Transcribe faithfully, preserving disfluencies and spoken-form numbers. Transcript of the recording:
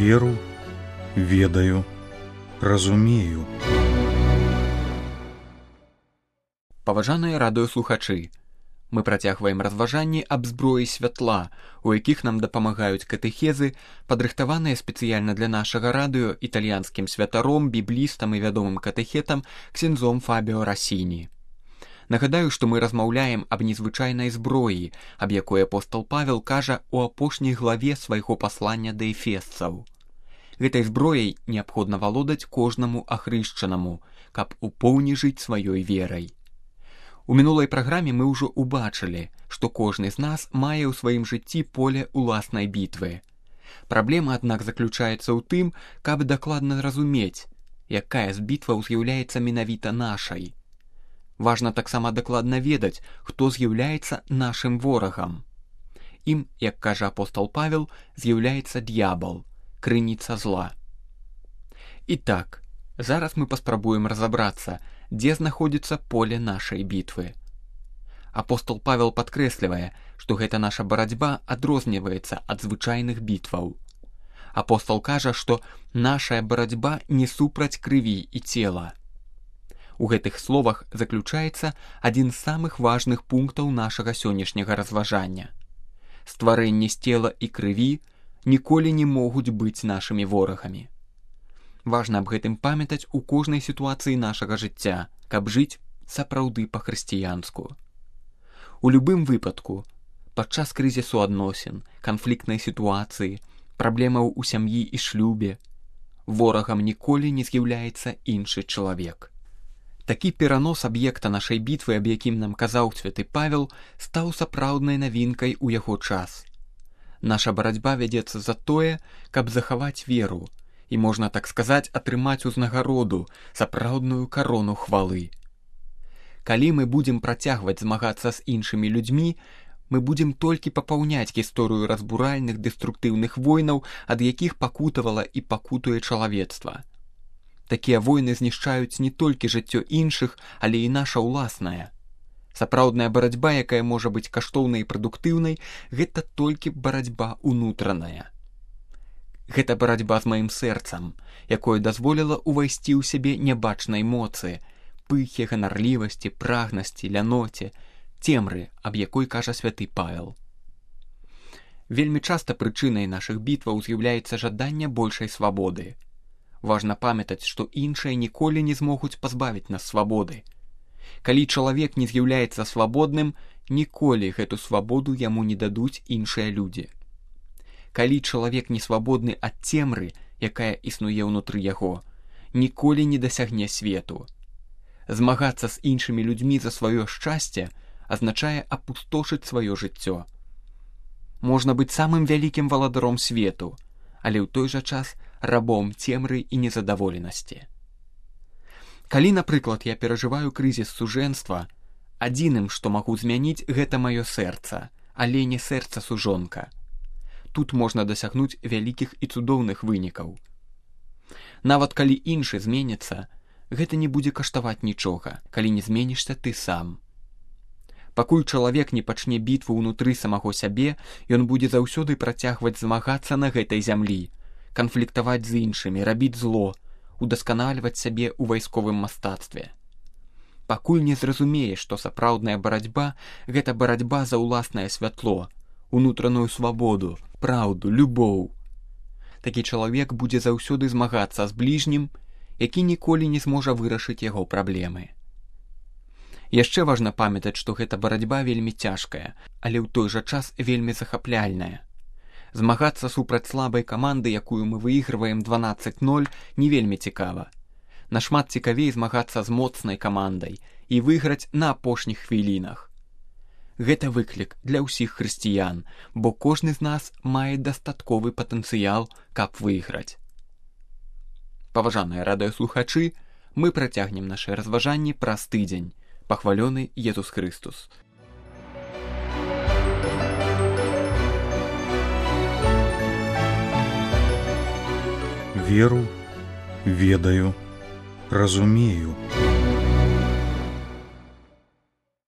Веру, ведаю, разумею. Паважаныя радыёслухачы, мы працягваем разважанні аб зброі святла, у якіх нам дапамагаюць катэхезы, падрыхтаваныя спецыяльна для нашага радыё італьянскім святаром, біблістам і вядомым катэхетам ксяндзом Фабіо Расіні. Нагадаю, што мы размаўляем аб незвычайнай зброі, аб якой апостал Павел кажа у апошняй главе свайго паслання да эфесцаў. Гэтай зброяй неабходна валодаць кожнаму ахрышчанаму, каб у поўні жыць сваёй верай. У мінулай праграме мы ўжо ўбачылі, што кожны з нас мае ў сваім жыцці поле ўласнай бітвы. Праблема, аднак, заключаецца ў тым, каб дакладна разумець, якая з бітваў з'яўляецца менавіта нашай. Важна таксама дакладна ведаць, хто з'яўляецца нашым ворагам. Ім, як кажа апостал Павел, з'яўляецца д'ябал, крыніца зла. І так, зараз мы паспрабуем разабрацца, дзе знаходзіцца поле нашай бітвы. Апостол Павел падкрэслівае, што гэта наша барацьба адрозніваецца ад звычайных бітваў. Апостол кажа, што нашая барацьба не супраць крыві і цела. У гэтых словах заключаецца адзін з самых важных пунктаў нашага сённяшняга разважання. Стварэнні з цела і крыві ніколі не могуць быць нашымі ворагамі. Важна аб гэтым памятаць у кожнай сітуацыі нашага жыцця, каб жыць сапраўды па-хрысціянску. У любым выпадку, падчас крызісу адносін, канфліктнай сітуацыі, праблемаў у сям'і і шлюбе, ворагам ніколі не з'яўляецца іншы чалавек. Такі перанос аб'екта нашай бітвы, аб якім нам казаў святы Павел, стаў сапраўднай навінкай у яго час. Наша барацьба вядзецца за тое, каб захаваць веру, і, можна так сказаць, атрымаць узнагароду, сапраўдную карону хвалы. Калі мы будзем працягваць змагацца з іншымі людзьмі, мы будзем толькі папаўняць гісторыю разбуральных дэструктыўных войнаў, ад якіх пакутавала і пакутуе чалавецтва. Такія войны знішчаюць не толькі жыццё іншых, але і наша ўласнае. Сапраўдная барацьба, якая можа быць каштоўнай і прадуктыўнай, гэта толькі барацьба ўнутраная. Гэта барацьба з маім сэрцам, якое дазволіла ўвайсці ў сябе нябачнай моцы, пыхе, ганарлівасці, прагнасці, ляноце, цемры, аб якой кажа святы Павел. Вельмі часта прычынай нашых бітваў з'яўляецца жаданне большай свабоды. Важна памятаць, што іншыя ніколі не змогуць пазбавіць нас свабоды. Калі чалавек не з'яўляецца свабодным, ніколі гэту свабоду яму не дадуць іншыя людзі. Калі чалавек не свабодны ад цемры, якая існуе ўнутры яго, ніколі не дасягне свету. Змагацца з іншымі людзьмі за сваё шчасце азначае апустошыць сваё жыццё. Можна быць самым вялікім валадаром свету, але ў той жа час рабом цемры і незадаволенасці. Калі, напрыклад, я перажываю крызіс сужэнства, адзіным, што магу змяніць, гэта маё сэрца, але не сэрца сужонка. Тут можна дасягнуць вялікіх і цудоўных вынікаў. Нават калі іншы зменіцца, гэта не будзе каштаваць нічога, калі не зменішся ты сам. Пакуль чалавек не пачне бітву ўнутры самаго сябе, ён будзе заўсёды працягваць змагацца на гэтай зямлі, канфліктаваць з іншымі, рабіць зло, удасканальваць сябе ў вайсковым мастацтве. Пакуль не зразумее, што сапраўдная барацьба – гэта барацьба за ўласнае святло, унутраную свабоду, праўду, любоў. Такі чалавек будзе заўсёды змагацца з бліжнім, які ніколі не зможа вырашыць яго праблемы. Яшчэ важна памятаць, што гэта барацьба вельмі цяжкая, але ў той жа час вельмі захапляльная. Змагацца супраць слабай каманды, якую мы выйгрываем дванаццаць ноль, не вельмі цікава. Нашмат цікавей змагацца з моцнай камандай і выйграць на апошніх хвілінах. Гэта выклік для ўсіх хрысціян, бо кожны з нас мае дастатковы патэнцыял, каб выйграць. Паважаныя радыёслухачы, мы працягнем нашы разважанні праз тыдзень. Пахвалёны Езус Хрыстус. Веру, ведаю, разумею.